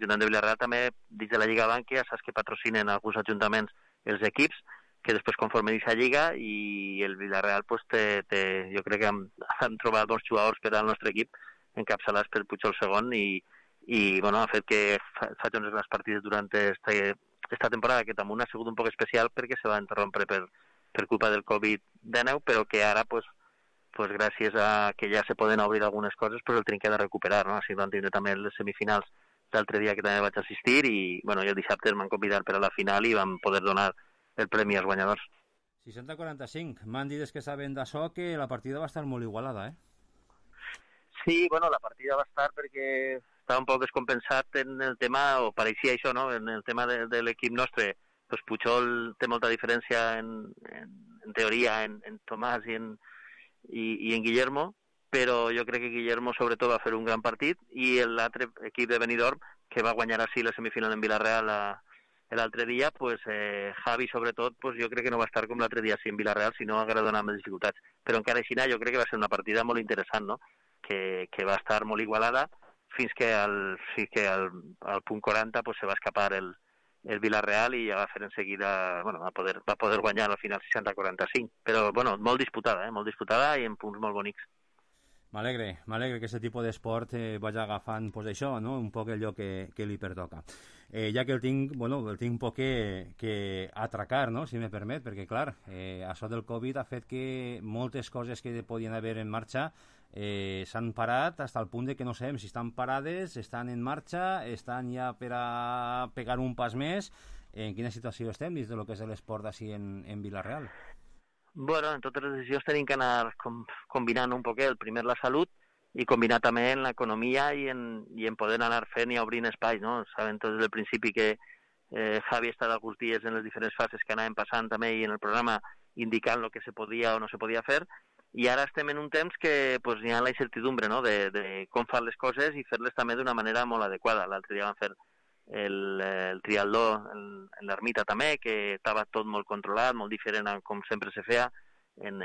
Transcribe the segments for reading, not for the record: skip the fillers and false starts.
l'Ajuntament de Vilareal també, dins de la Lliga Bànquia, saps que patrocinen alguns ajuntaments els equips, que després conformen aquesta lliga, i el Vilareal pues, jo crec que han trobat bons jugadors per al nostre equip, encapçalats per Pujol segon, i bueno, ha fet que faci unes grans partides durant esta temporada, que també ha sigut un poc especial perquè se va interrompre per culpa del Covid-19, però que ara pues gràcies a que ja se poden obrir algunes coses, pues el tenim que de recuperar, no? Així vam tindre també les semifinals l'altre dia que també vaig assistir, i bueno, jo el dissabte m'han convidat per a la final i vam poder donar el premi als guanyadors. 60-45. M'han dit que saben d'això que la partida va estar molt igualada, Sí, bueno, la partida va estar perquè estava un poc descompensat en el tema, o pareixia això, no?, en el tema de l'equip nostre. Pues Pujol té molta diferència en teoria en Tomàs i en Guillermo, però jo crec que Guillermo sobretot va fer un gran partit, i l'altre equip de Benidorm, que va guanyar així la semifinal en Vilareal l'altre dia, pues Javi sobretot, pues jo crec que no va estar com l'altre dia en Vilareal, sinó haguera donat més dificultats. Però encara així jo crec que va ser una partida molt interessant, no?, que va estar molt igualada fins que al punt 40 pues, se va escapar el Vilareal i ja va fer en seguida, bueno, va poder guanyar al final 60-45, però bueno, molt disputada i en punts molt bonics. M'alegre que aquest tipus d'esport vagi agafant pues, això, no? Un poc allò que li pertoca. Ja que el tinc un poc que atracar, no? Si me permet, perquè clar, això del Covid ha fet que moltes coses que podien haver en marxa s'han parat fins al punt de que no sabem si estan parades, estan en marxa, estan ja per a pegar un pas més. En quina situació estem dins del que és l'esport així en Vilareal? Bueno, en totes les decisions tenim que anar combinant un poquet, primer la salut i combinar també en l'economia i en poder anar fent i obrint espais, no? Sabem tots des del principi que Javi ha estat alguns dies en les diferents fases que anàvem passant també i en el programa indicant el que se podia o no se podia fer, i ara estem en un temps que pues, hi ha la incertidumbre, no?, de com fer les coses i fer-les també d'una manera molt adequada. L'altre dia vam fer el triatló en l'ermita també, que estava tot molt controlat, molt diferent a com sempre se feia, en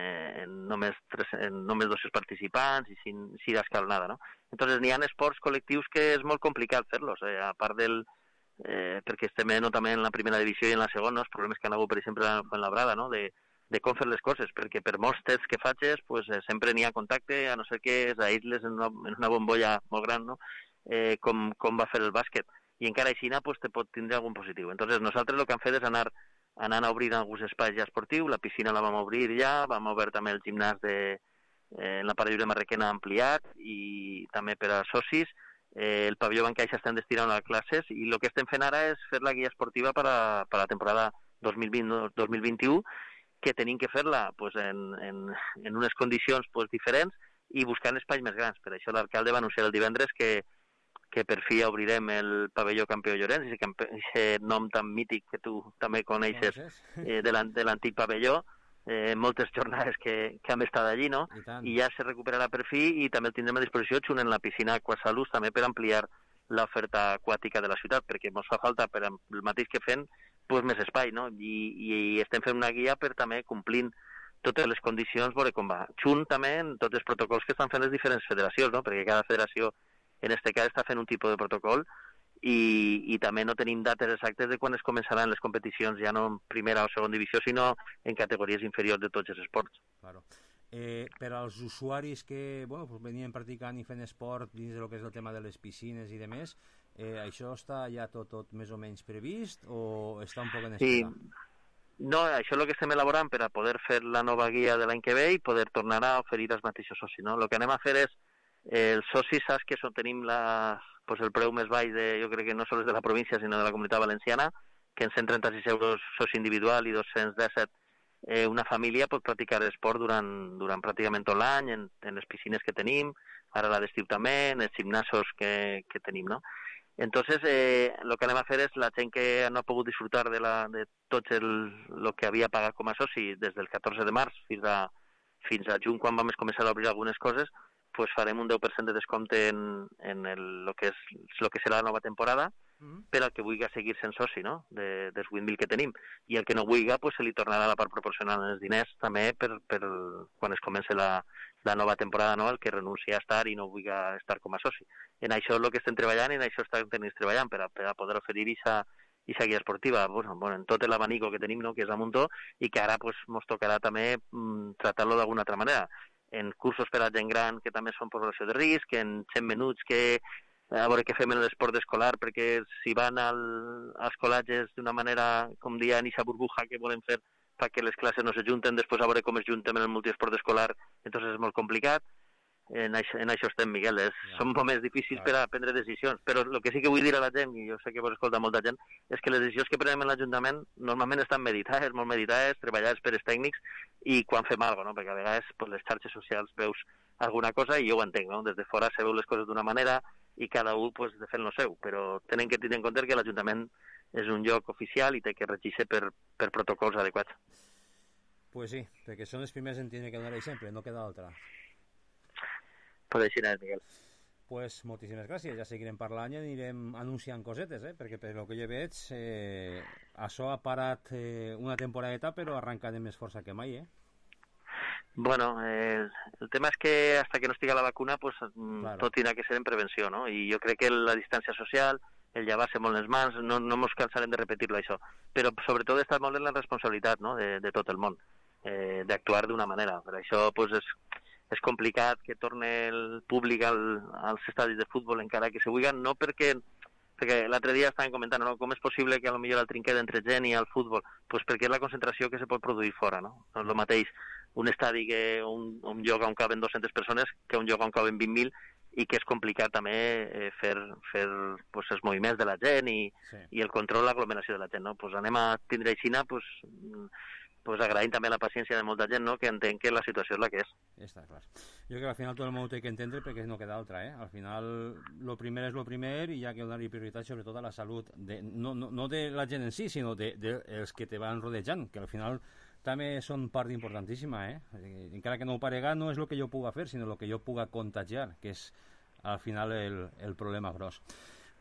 només 200 participants i sin escalonada, no? Entonces n'hi ha esports col·lectius que és molt complicat fer-los, a part perquè estem també en la primera divisió i en la segona, els problemes que han hagut, per exemple, en Fuenlabrada, no?, de com fer les coses, perquè per molts tests que facis, pues, sempre n'hi ha contacte, a no ser que s'aïsles en una bombolla molt gran, no?, com va fer el bàsquet. I encara així pues, te pot tindre algun positiu. Entonces nosaltres el que hem fet és anar a obrir alguns espais ja esportius, la piscina la vam obrir ja, vam obrir també el gimnàs en la part lliure Marrequena ampliat, i també per a socis, el pavelló Bancaixa estem destinant a classes, i el que estem fent ara és fer la guia esportiva per a la temporada 2020-2021, que tenim que fer-la pues, en unes condicions pues, diferents i buscant espais més grans. Per això l'alcalde va anunciar el divendres que per fi obrirem el pavelló Campió Llorenç, aquest nom tan mític que tu també coneixes de l'antic pavelló, moltes jornades que hem estat allí, no? I ja se recuperarà per fi, i també el tindrem a disposició junt en la piscina Aquasalus també per ampliar l'oferta aquàtica de la ciutat, perquè ens fa falta, per el mateix que fem, pues, més espai, no? I estem fent una guia per també complint totes les condicions, veure com va. Junt també en tots els protocols que estan fent les diferents federacions, no? Perquè cada federació en este cas està fent un tipus de protocol i també no tenim dates exactes de quan es començaran les competicions, ja no en primera o segona divisió, sinó en categories inferiors de tots els esports. Claro. Per als usuaris que pues venien practicant i fent esport dins del que és el tema de les piscines i demés, això està ja tot més o menys previst o està un poc en espera? Sí. No, això és el que estem elaborant per a poder fer la nova guia de l'any que ve i poder tornar a oferir als mateixos socis, no? El que anem a fer és els socis, saps que tenim el preu més baix, jo crec que no sols de la província, sinó de la Comunitat Valenciana, que en 136 euros soci individual i 217 una família pot practicar esport durant pràcticament tot l'any, en les piscines que tenim, ara la d'estiu també, en els gimnasos que tenim, no? Entonces, el que anem a fer és la gent que no ha pogut disfrutar de tot el que havia pagat com a soci des del 14 de març fins a juny, quan vam començar a obrir algunes coses, pues farem un 10% de descompte en el que serà la nova temporada per al que vulgui seguir sent soci, no?, dels 8.000 que tenim. I el que no vulgui, pues, se li tornarà la part proporcional en els diners també per quan es comença la nova temporada, no?, el que renuncia a estar i no vulgui estar com a soci. en això és el que estem treballant i en això estem treballant per a poder oferir aquesta guia esportiva en tot l'abanico que tenim, no? Que és a muntó, i que ara pues, mos tocarà també tratar-lo d'alguna altra manera. En cursos per a gent gran, que també són població de risc, en 100 minuts que a veure què fem en l'esport escolar, perquè si van als col·legis d'una manera, com deia, en aquesta burbuja que volem fer perquè les classes no s'ajunten, després a veure com es junten en el multiesport escolar, entonces és molt complicat. En això estem, Miguel. Són moments difícils per a prendre decisions, però el que sí que vull dir a la gent, i jo sé que vos escolta molta gent, és que les decisions que prenem en l'Ajuntament normalment estan meditades, molt meditades, treballades per els tècnics, i quan fem alguna cosa, no? Perquè a vegades pues, les xarxes socials veus alguna cosa i jo ho entenc, no? Des de fora se veu les coses d'una manera i cada un pues, de fent lo seu, però tenen que tenir en compte que l'Ajuntament és un lloc oficial i té que regir-se per protocols adequats. Pues sí, perquè són els primers en tenir que donar exemple, no queda altra. Pues així és, Miguel. Pues moltíssimes gràcies, ja seguirem parlant i anirem anunciant cosetes, perquè per el que jo veig això ha parat una temporadeta però arrenca de més força que mai, Bueno, el tema és que hasta que no estigui la vacuna pues, claro. Tot tindrà que ser en prevenció, no? I jo crec que la distància social, el llevar-se molt les mans, no ens cansarem de repetir-lo això, però sobretot està molt en la responsabilitat, no? de tot el món, d'actuar d'una manera. Per això pues, és complicat que torni el públic als estadis de futbol encara que se vulguin, no perquè l'altre dia estàvem comentant, no? Com és possible que potser el trinquet entre gent i el futbol? Pues perquè és la concentració que se pot produir fora, no? No és el mateix un estadi que un lloc on caben 200 persones que un lloc on caben 20.000 i que és complicat també fer pues, els moviments de la gent i el control, l'aglomeració de la gent, no? Pues anem a tindre aixina, pues agraïm també la paciència de molta gent, no? Que entén que la situació és la que és. Està clar. Jo crec que al final tot el món té que entendre perquè no queda altra, Al final, lo primer és lo primer i hi ha que donar-hi prioritat sobretot a la salut, no de la gent en si, sinó dels que te van rodejant, que al final també són part importantíssima, Encara que no ho parega, no és el que jo puga fer, sinó el que jo puga contagiar, que és al final el problema gros.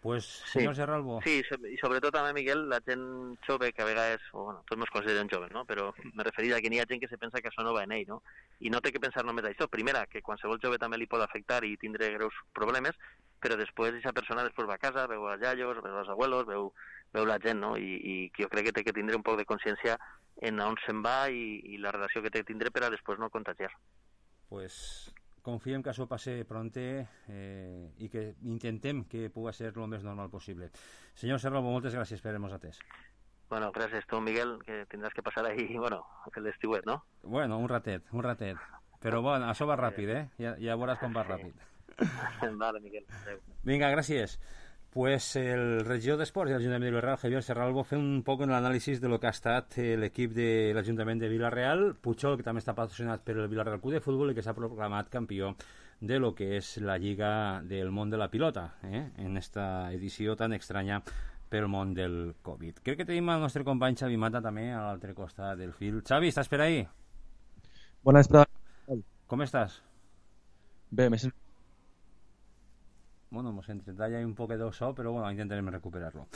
Pues, senyor Serralbo. Sí, i sobretot també, Miguel, la gent jove, que a vegades, tots ens consideren joves, no? Però me referia que n'hi ha gent que se pensa que això no va en ell, no? I no té que pensar només això. Primera, que qualsevol jove també li pot afectar i tindre greus problemes, però després aquesta persona després va a casa, veu els iaios, veu els abuelos, veu la gent, no? I jo crec que té que tindre un poc de consciència en on se'n va i la relació que té que tindre per a després no contagiar. Pues confiem que això passi pronte i que intentem que pugui ser el més normal possible. Senyor Serralbo, moltes gràcies per haver-nos atès. Bueno, gràcies tu, Miguel, que tindràs que passar ahí, l'estiuet, no? Bueno, un ratet. Però bueno, això va ràpid, Ja veuràs com va ràpid. Vale, Miguel. Adeu. Vinga, gràcies. Pues el regidor d'Esports de l'Ajuntament de Vila-real, Javier Serralbo, fent un poc en l'anàlisi de lo que ha estat l'equip de l'Ajuntament de Vila-real, Puigol, que també està patrocinat per el Vila-real Club de Futbol i que s'ha proclamat campió de lo que és la Lliga del món de la pilota, en esta edició tan estranya pel món del Covid. Crec que tenim el nostre company Xavi Mata també a l'altre costat del fil. Xavi, estàs per ahí? Bona vesprada. Com estàs? Bé, més... Bueno, hemos intentado ya un poco de so, pero bueno, intentarem recuperar-lo.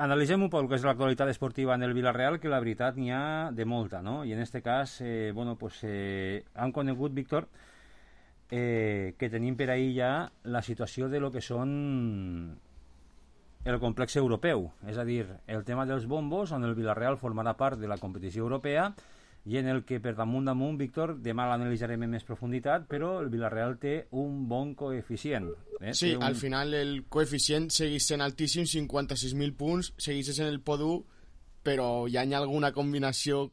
Analitzem un poc el que és l'actualitat esportiva en el Vila-real, que la veritat n'hi ha de molta, no? I en este cas, han conegut, Víctor, que tenim per ahí ja la situació de lo que són el complex europeu, és a dir, el tema dels bombos, on el Vila-real formarà part de la competició europea, i en el que per damunt, Víctor, demà l'analitzarem en més profunditat, però el Vila-real té un bon coeficient. Sí, al final el coeficient segueix sent altíssim, 56.000 punts, segueix sent el P1, però hi ha alguna combinació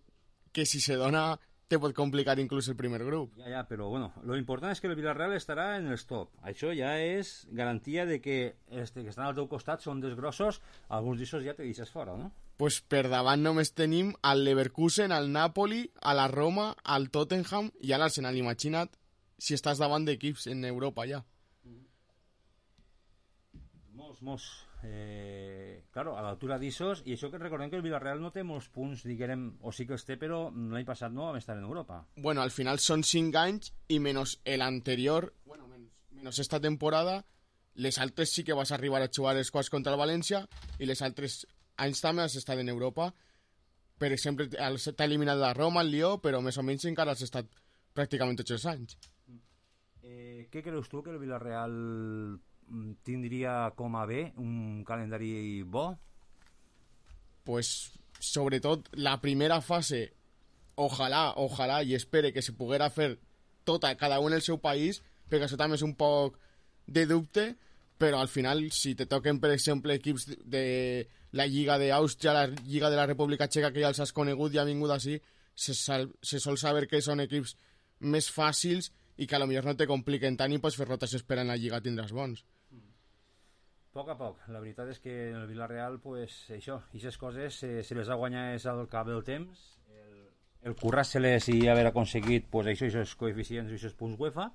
que si se dona te pot complicar inclús el primer grup. Ja, però bueno, lo important és que el Vila-real estarà en els top. Això ja és garantia de que els que estan al teu costat són desgrossos, alguns d'ells ja te deixes fora, no? Pues per davant només tenim al Leverkusen, al Napoli, a la Roma, al Tottenham i a l'Arsenal. Imagina't si estàs davant d'equips en Europa ja. Molts. Claro, a l'altura d'issos, i això que recordem que el Vila-real no té molts punts, diguem, o sí que els té, però l'any passat no vam estar en Europa. Bueno, al final són 5 anys i menys l'anterior, menys esta temporada, les altres sí que vas arribar a jugar els quarts contra el València i les altres anys també has estat en Europa. Per exemple, t'ha eliminat la Roma, el Lió, però més o menys encara has estat pràcticament tots els anys. Què creus tu que el Villarreal tindria com a bé un calendari bo? Pues sobretot la primera fase, ojalà i espere que se poguera fer tota, cada un en el seu país, perquè això també és un poc de dubte, però al final, si te toquen, per exemple, equips de la Lliga d'Àustria, la Lliga de la República Txeca, que ja els has conegut i ha vingut així, se sol saber que són equips més fàcils i que potser no te compliquen tant i pots fer rotació esperant la Lliga tindràs bons. A poc. La veritat és que en el Villarreal, pues, això, aquestes coses se les ha guanyat al cap del temps, el currar-se-les i haver aconseguit pues, això, aquests coeficients, aquests punts UEFA,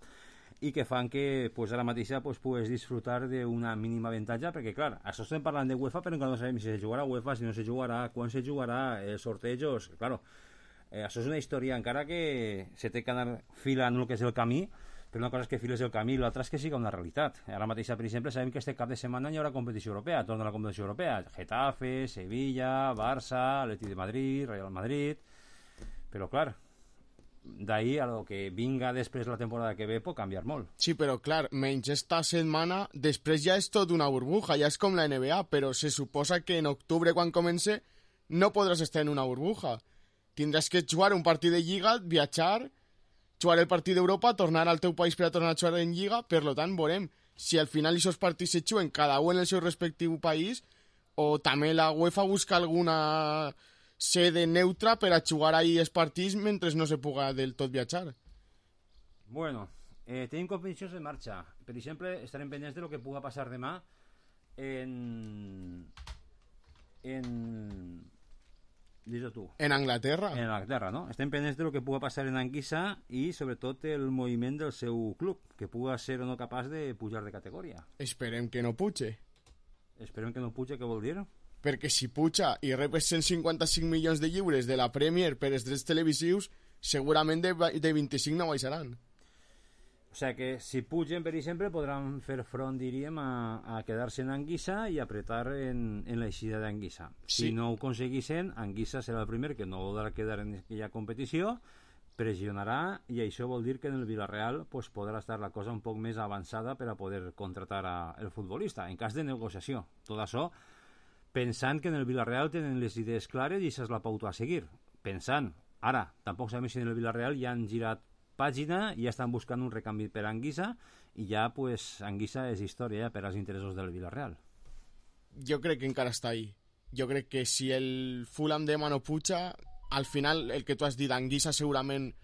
i que fan que pues, ara mateix pues, pugues disfrutar d'una mínima avantatge, perquè clar, això estem parlant de UEFA, però encara no sabem si se jugarà UEFA, si no se jugarà, quan se jugarà, els sortejos, claro, això és una història encara que se té que anar filant el que és el camí, però una cosa és que files el camí i l'altra és que siga una realitat. Ara mateix, per exemple, sabem que este cap de setmana hi haurà competició europea, torna la competició europea, Getafe, Sevilla, Barça, Atleti de Madrid, Real Madrid, però clar, d'ahir a lo que vinga després la temporada que ve pot canviar molt. Sí, però clar, menys esta setmana, després ja és tot una burbuja, ja és com la NBA, però se suposa que en octubre, quan comence, no podràs estar en una burbuja. Tindràs que jugar un partit de Lliga, viatjar, jugar el partit d'Europa, tornar al teu país per a tornar a jugar en Lliga, per lo tant, veurem si al final aquests partits se juguen cada un en el seu respectiu país o també la UEFA busca alguna sede neutra per a jugar ahí els partits mentre no se puga del tot viatjar. Bueno, tenim competicions en marxa. Per exemple, estarem pendents de lo que puga passar demà en dis-ho tu. En Anglaterra. En Anglaterra, no? Estem pendents de lo que puga passar en Anguissa i sobretot el moviment del seu club, que puga ser o no capaç de pujar de categoria. Esperem que no puge. Esperem que no puja, què vol dir? Perquè si puja i rep 155 milions de lliures de la Premier per els drets televisius, segurament de 25 no baixaran. O sigui que si pugen, per exemple, podran fer front, diríem, a quedar-se en Anguissa i apretar en l'eixida d'Anguissa. Sí. Si no ho aconseguissin, Anguissa serà el primer que no voldrà quedar en aquella competició, pressionarà, i això vol dir que en el Villarreal pues, podrà estar la cosa un poc més avançada per a poder contratar el futbolista, en cas de negociació. Tot això pensant que en el Villarreal tenen les idees clares i això és la pauta a seguir. Pensant, ara, tampoc sabem si en el Villarreal ja han girat pàgina i ja estan buscant un recanvi per Anguissa i ja, pues, Anguissa és història ja per als interessos del Villarreal. Jo crec que encara està ahí. Jo crec que si el Fulham demà no puja, al final, el que tu has dit, Anguissa segurament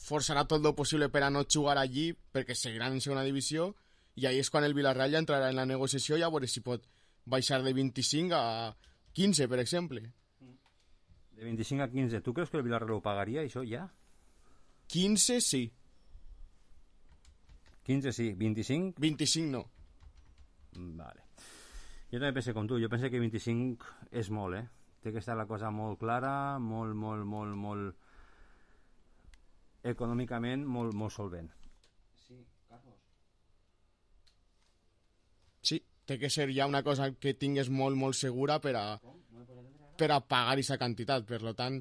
forçarà tot el possible per a no jugar allí, perquè seguiran en segona divisió, i ahí és quan el Villarreal ja entrarà en la negociació i a veure si pot baixar de 25 a 15, per exemple. De 25 a 15. Tu creus que el Villarreal ho pagaria, això, ja? 15 sí. 15 sí. 25? 25 no. Vale. Jo també penso com tu. Jo penso que 25 és molt, Té que estar la cosa molt clara, molt econòmicament, molt solvent. Sí, Carlos. Sí, té que ser ja una cosa que tingues molt segura per a pagar aquesta quantitat. Per tant,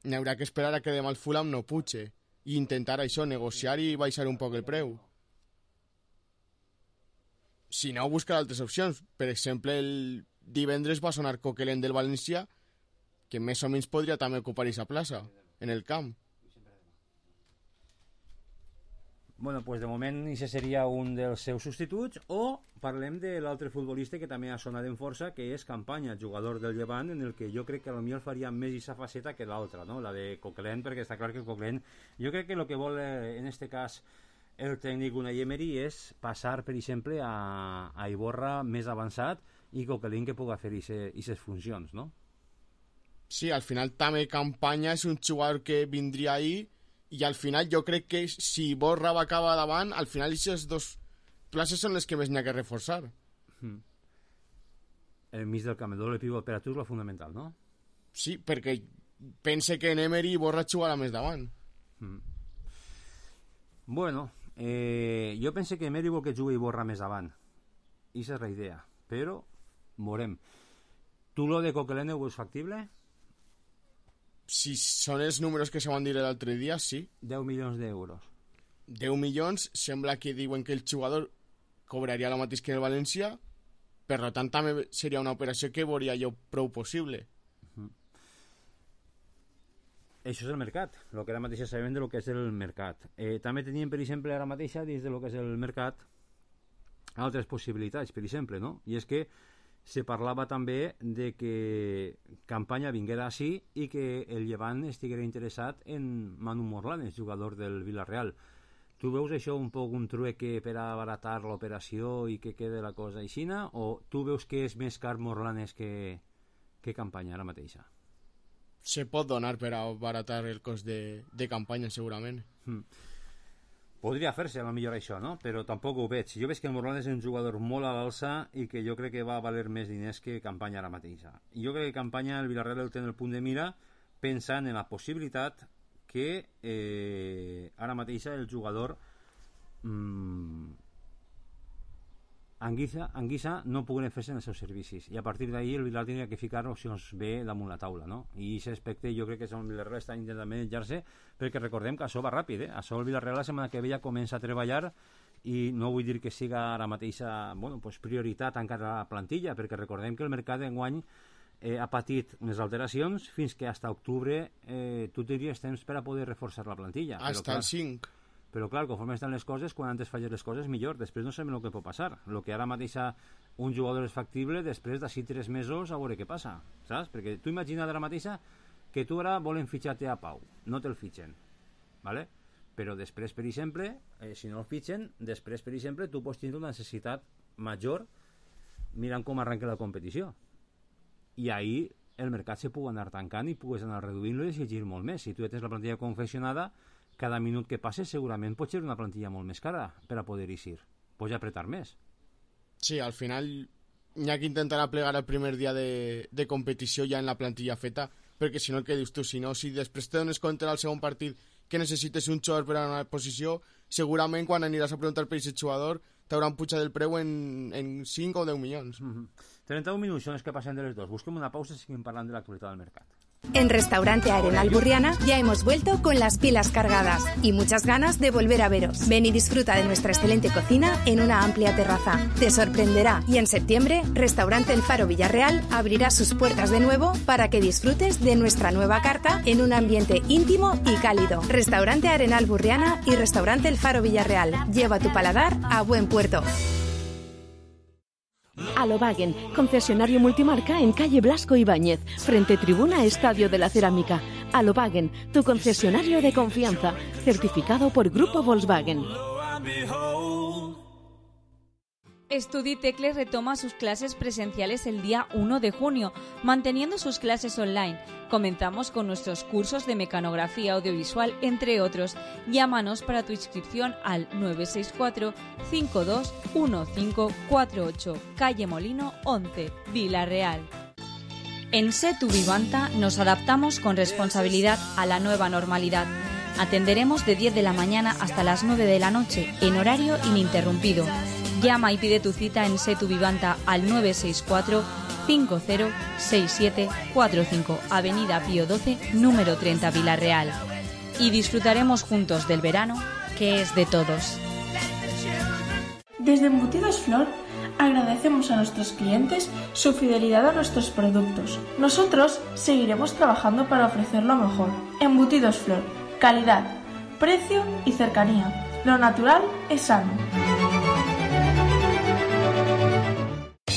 n'hi haurà que esperar a que demà el Fulham no puge i intentar això, negociar i baixar un poc el preu. Si no, buscar altres opcions. Per exemple, el divendres va sonar Coquelin del València, que més o menys podria també ocupar aquesta plaça en el camp. Bueno, pues de moment això seria un dels seus substituts, o parlem de l'altre futbolista que també ha sonat en força, que és Campanya, jugador del Llevant, en el que jo crec que potser faria més aquesta faceta que l'altra, no? La de Coquelin, perquè està clar que Coquelin, jo crec que el que vol en este cas el tècnic Unai Emery és passar, per exemple, a Iborra més avançat i Coquelin que pugui fer aquestes funcions, no? Sí, al final també Campanya és un jugador que vindria ahí i al final jo crec que si Iborra va acabar davant, al final aquestes dues places són les que més n'hi ha que reforçar. El mig del camp, el doble pivot per a tu és lo fundamental, no? Sí, perquè pense que en Emery Iborra jugarà més davant. Bueno, jo pense que Emery vol que jugui Iborra més davant. Ixa és la idea, però veurem. Tu lo de Coquelin ho veus factible? Si són els números que se van dir l'altre dia, sí. 10 milions d'euros. 10 milions, sembla que diuen que el jugador cobraria el mateix que el València, per tant també seria una operació que veuria jo prou possible. Això és el mercat, el que ara mateix sabem de lo que és el mercat. També teníem, per exemple, ara mateix, dins de lo que és el mercat, altres possibilitats, per exemple, no? I és que se parlava també de que Campanya vinguera així i que el Llevant estiguera interessat en Manu Morlanes, jugador del Villarreal. Tu veus això un poc un trueque per abaratar l'operació i que quede la cosa aixina, o tu veus que és més car Morlanes que Campanya ara mateixa? Se pot donar per abaratar el cost de Campanya, segurament. Podria fer-se, a lo millor això, no? Però tampoc ho veig. Jo veig que el Morlanes és un jugador molt a l'alça i que jo crec que va valer més diners que Campanya ara mateixa. I jo crec que Campanya, el Villarreal el té en el punt de mira pensant en la possibilitat que ara mateixa el jugador Anguissa no puguen fer-se en els seus servicis, i a partir d'ahir el Villarreal tindria que ficar opcions B damunt la taula, no? I aquest aspecte jo crec que el Villarreal està intentant manejar-se, perquè recordem que això va ràpid, això el Villarreal la setmana que ve ja comença a treballar, i no vull dir que siga ara mateixa prioritat encara la plantilla, perquè recordem que el mercat d'enguany ha patit unes alteracions fins que fins a octubre tu tindries temps per a poder reforçar la plantilla. Fins el 5. Però clar, conforme estan les coses, quan antes falles les coses millor, després no sabem el que pot passar. El que ara mateix un jugador és factible, després d'ací 3 mesos a veure què passa, saps? Perquè tu imagina't ara mateixa que tu ara volen fitxar-te a Pau, no te'l fitxen, ¿vale? Però després, per exemple, si no el fitxen, després, per exemple, tu pots tenir una necessitat major mirant com arrenca la competició. I ahir el mercat se pugui anar tancant i pugues anar reduint-lo i exigir molt més. Si tu ja tens la plantilla confeccionada, cada minut que passes segurament pot ser una plantilla molt més cara per a poder eixir. Pots apretar més. Sí, al final hi ha que intentar plegar el primer dia de competició ja en la plantilla feta, perquè si no el que dius tu, si després te dones compte al segon partit que necessites un jugador per a una posició, segurament quan aniràs a preguntar per aquest jugador t'hauran pujat el preu en 5 o 10 milions. 31 minuts són els que passen de les dos. Busquem una pausa i seguim parlant de l'actualitat del mercat. En Restaurante Arenal Burriana ya hemos vuelto con las pilas cargadas y muchas ganas de volver a veros. Ven y disfruta de nuestra excelente cocina en una amplia terraza. Te sorprenderá, y en septiembre, Restaurante El Faro Villarreal abrirá sus puertas de nuevo para que disfrutes de nuestra nueva carta en un ambiente íntimo y cálido. Restaurante Arenal Burriana y Restaurante El Faro Villarreal. Lleva tu paladar a buen puerto. Alobagen, concesionario multimarca en calle Blasco Ibáñez, frente tribuna Estadio de la Cerámica. Alobagen, tu concesionario de confianza, certificado por Grupo Volkswagen. Studitecle retoma sus clases presenciales el día 1 de junio, manteniendo sus clases online. Comenzamos con nuestros cursos de mecanografía audiovisual, entre otros. Llámanos para tu inscripción al 964-521548, calle Molino 11, Vila-real. En Setu Vivanta nos adaptamos con responsabilidad a la nueva normalidad. Atenderemos de 10 de la mañana hasta las 9 de la noche, en horario ininterrumpido. Llama y pide tu cita en Setu Vivanta al 964-506745, Avenida Pío XII, número 30, Vila-real. Y disfrutaremos juntos del verano, que es de todos. Desde Embutidos Flor agradecemos a nuestros clientes su fidelidad a nuestros productos. Nosotros seguiremos trabajando para ofrecer lo mejor. Embutidos Flor, calidad, precio y cercanía. Lo natural es sano.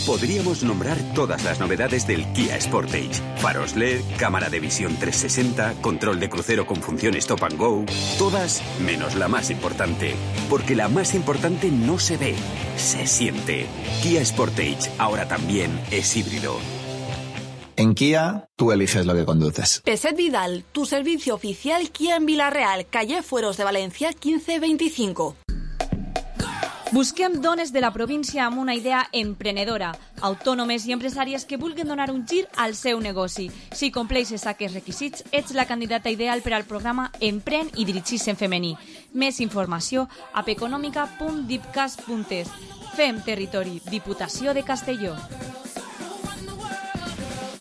Podríamos nombrar todas las novedades del Kia Sportage. Faros LED, cámara de visión 360, control de crucero con función Stop and Go. Todas menos la más importante. Porque la más importante no se ve, se siente. Kia Sportage ahora también es híbrido. En Kia, tú eliges lo que conduces. Peset Vidal, tu servicio oficial Kia en Vila-real, calle Fueros de Valencia 1525. Busquem dones de la província amb una idea emprenedora, autònomes i empresàries que vulguin donar un gir al seu negoci. Si compleixes aquests requisits, ets la candidata ideal per al programa Empren i dirigis en femení. Més informació a econòmica.dipcas.es. Fem territori, Diputació de Castelló.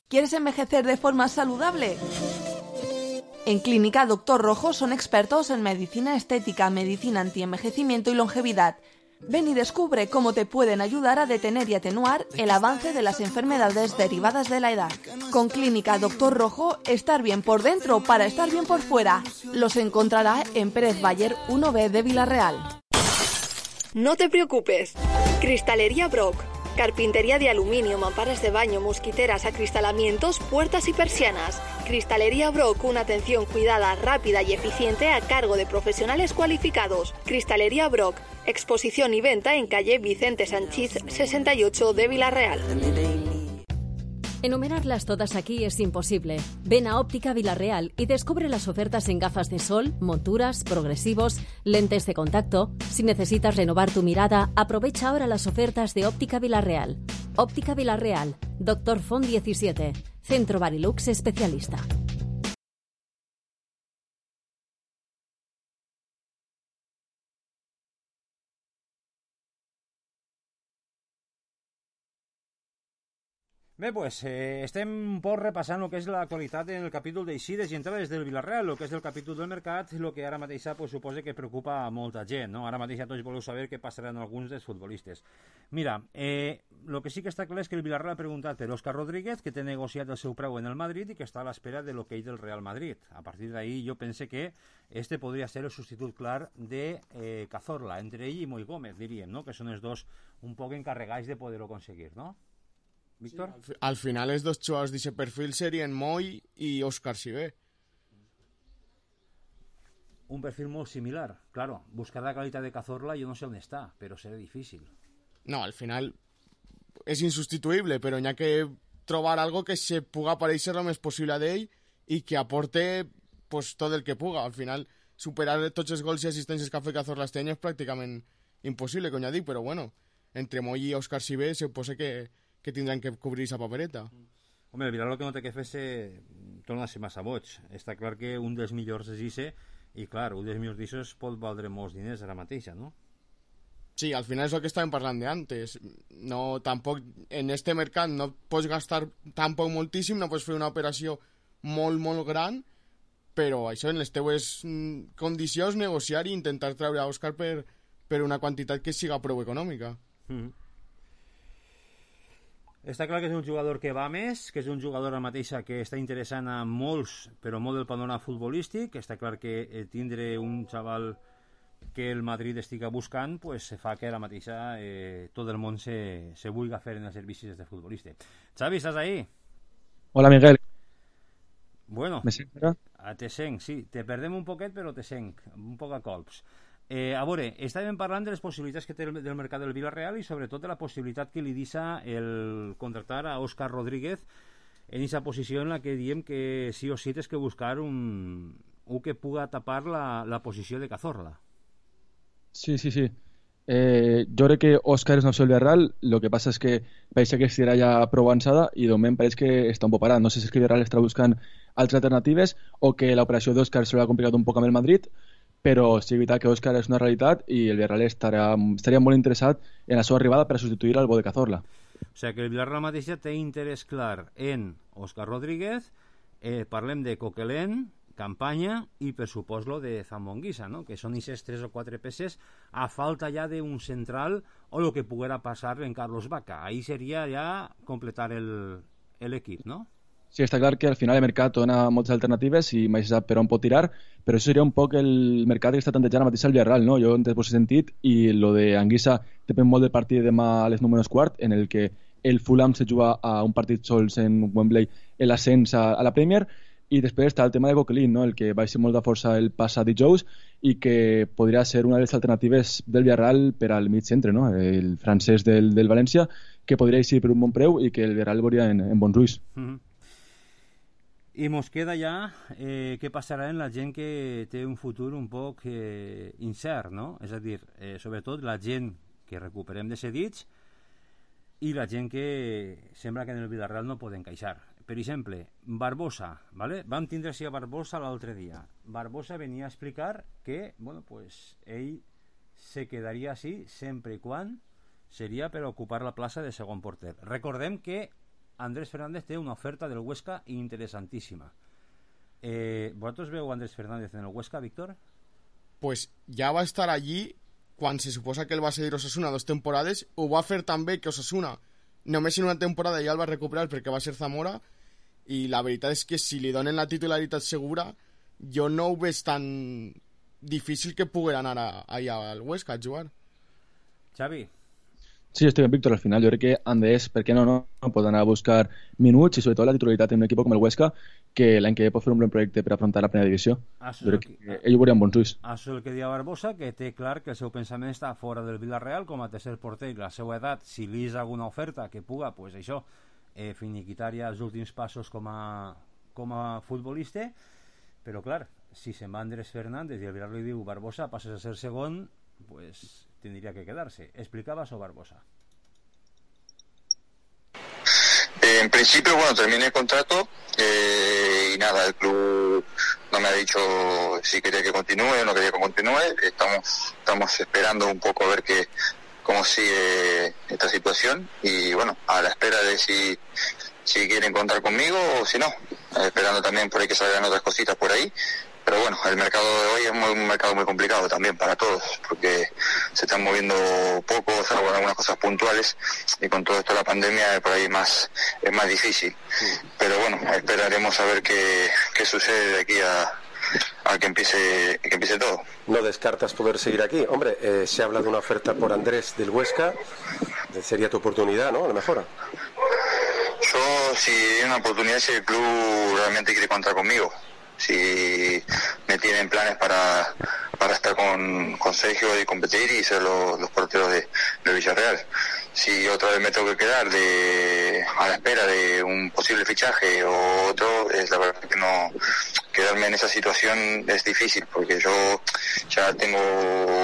¿Quieres envejecer de forma saludable? En Clínica Doctor Rojo son expertos en medicina estética, medicina antienvejecimiento y longevidad. Ven y descubre cómo te pueden ayudar a detener y atenuar el avance de las enfermedades derivadas de la edad. Con Clínica Doctor Rojo, estar bien por dentro para estar bien por fuera. Los encontrará en Pérez Bayer 1B de Villarreal. No te preocupes. Cristalería Brock. Carpintería de aluminio, mamparas de baño, mosquiteras, acristalamientos, puertas y persianas. Cristalería Brock, una atención cuidada, rápida y eficiente a cargo de profesionales cualificados. Cristalería Brock, exposición y venta en calle Vicente Sanchís 68 de Villarreal. Enumerarlas todas aquí es imposible. Ven a Óptica Villarreal y descubre las ofertas en gafas de sol, monturas, progresivos, lentes de contacto. Si necesitas renovar tu mirada, aprovecha ahora las ofertas de Óptica Villarreal. Óptica Villarreal, Dr. Font 17, Centro Barilux Especialista. Bé, pues estem un poc repassant el que és l'actualitat en el capítol d'eixides i entrades del Villarreal, el que és el capítol del mercat, el que ara mateix pues, suposa que preocupa a molta gent, no? Ara mateix ja tots voleu saber què passarà amb alguns dels futbolistes. Mira, el que sí que està clar és que el Villarreal ha preguntat per Óscar Rodríguez, que té negociat el seu preu en el Madrid i que està a l'espera de l'okey del Real Madrid. A partir d'ahí jo pense que este podria ser el substitut clar de Cazorla, entre ell i Moi Gómez, diríem, no? Que són els dos un poc encarregats de poder-ho aconseguir, no? Víctor? Sí, al final els dos jugadors d'aquest perfil serien Moi i Óscar Sibé. Un perfil molt similar. Claro, buscar la qualitat de Cazorla jo no sé on està, però serà difícil. No, al final és insustituïble, però n'hi ha que trobar algo que se puga pareixer lo més possible d'ell i que aporte pues, tot el que puga. Al final, superar tots els gols i assistències que ha fet Cazorla este any és pràcticament impossible, com ja dic, però bueno, entre Moi i Óscar Sibé se posa que tindran que cobrir aquesta papereta. Home, el Villarreal el que no té que fer torna a ser massa boig. Està clar que un dels millors és Isse i clar, un dels millors d'Issos pot valdre molts diners ara mateixa, no? Sí, al final és el que estàvem parlant d'antes. No, tampoc, en este mercat no pots gastar tampoc moltíssim, no pots fer una operació molt, molt gran, però això en les teues condicions negociar i intentar treure a Òscar per una quantitat que siga prou econòmica. Està clar que és un jugador que va més, que és un jugador ara mateixa que està interessant a molts, però molt del panorama futbolístic. Està clar que tindre un xaval que el Madrid estigui buscant pues se fa que ara mateixa tot el món se vulgui fer en els servicis de futbolista. Xavi, estàs ahí? Hola, Miguel. Bueno, ¿Me sents ara? te senc, sí. Te perdem un poquet, però te senc, un poc a colps. A veure, estàvem parlant de les possibilitats que té del mercat del Villarreal i sobretot de la possibilitat que li deixa el contractar a Óscar Rodríguez en aquesta posició en la que diem que sí o sí tens que buscar un que puga tapar la posició de Cazorla. Sí. Jo crec que Óscar és una opció del Villarreal, el que passa és que pareix que estirà ja prou avançada i de moment pareix que està un poc parat. No sé si és que el Villarreal està buscant altres alternatives o que l'operació d'Óscar se l'ha complicat un poc amb el Madrid, però sí, és veritat que Óscar és una realitat i el Villarreal estaria molt interessat en la seva arribada per a substituir al bo de Cazorla. O sigui que el Villarreal mateixa té interès clar en Óscar Rodríguez, parlem de Coquelin, Campanya i per supòs lo de Zambonguisa, no? Que són aquestes 3 o 4 peces a falta ja d'un central o el que poguera passar en Carlos Vaca. Ahí seria ja completar l'equip, no? Sí, està clar que al final el mercat dona moltes alternatives i mai se sap per on pot tirar, però això seria un poc el mercat que està tantejant ara mateix al Villarreal, no? Jo entenc el sentit i lo de Anguissa depèn molt del partit de demà a les 9:15, en el que el Fulham se juga a un partit sols en Wembley l'ascens a la Premier, i després està el tema de Coquelin, no? El que va ser molt de força el passat dijous i que podria ser una de les alternatives del Villarreal per al mig centre, no? El francès del València, que podria eixir per un bon preu i que el Villarreal veuria en bons ulls. I mos queda ja què passarà amb la gent que té un futur un poc incert, no? És a dir, sobretot la gent que recuperem de cedits i la gent que sembla que en el Villarreal no poden encaixar. Per exemple, Barbosa, ¿vale? Vam tindre així a Barbosa l'altre dia. Barbosa venia a explicar que, bueno, pues ell se quedaria així sempre i quan seria per ocupar la plaça de segon porter. Recordem que Andrés Fernández té una oferta del Huesca interessantíssima. ¿Vosotros veu Andrés Fernández en el Huesca, Víctor? Pues ja va estar allí quan se suposa que el va cedir Osasuna 2 temporades. Ho va fer també que Osasuna només en una temporada ja el va recuperar perquè va ser Zamora, i la veritat és que si li donen la titularitat segura jo no ho veig tan difícil que pugui anar allà al Huesca a jugar. Xavi? Sí, estoy bien, Víctor. Al final, yo creo que Andrés, ¿por qué no puede anar a buscar minuts y sobre todo la titularidad en un equipo como el Huesca, que l'any que ve pot fer un bon projecte per afrontar la primera divisió. Jo crec que ells ho veurien bons ulls. Això és el que deia Barbosa, que té clar que el seu pensament està fora del Villarreal com a tercer porter, i la seva edat, si li és alguna oferta que puga, pues això, finiquitar ja els últims passos com a futbolista, però clar, si se'n va Andrés Fernández i el Villarreal li diu Barbosa, passes a ser segon, pues tendría que quedarse. ¿Explicabas o Barbosa? En principio, bueno, terminé el contrato y nada, el club no me ha dicho si quería que continúe o no quería que continúe. Estamos esperando un poco a ver cómo sigue esta situación y bueno, a la espera de si quieren contar conmigo o si no, esperando también por ahí que salgan otras cositas por ahí. Pero bueno, el mercado de hoy es un mercado muy complicado también para todos, porque se están moviendo poco, salvo algunas cosas puntuales, y con todo esto de la pandemia por ahí es más difícil. Pero bueno, esperaremos a ver qué sucede de aquí a que empiece todo. ¿No descartas poder seguir aquí? Hombre, se habla de una oferta por Andrés del Huesca, sería tu oportunidad, ¿no? A lo mejor. Yo, si hay una oportunidad, si el club realmente quiere contar conmigo, si me tienen planes para estar con Sergio y competir y ser los porteros de Villarreal. Si otra vez me tengo que quedar a la espera de un posible fichaje o otro, es la verdad que no, quedarme en esa situación es difícil, porque yo ya tengo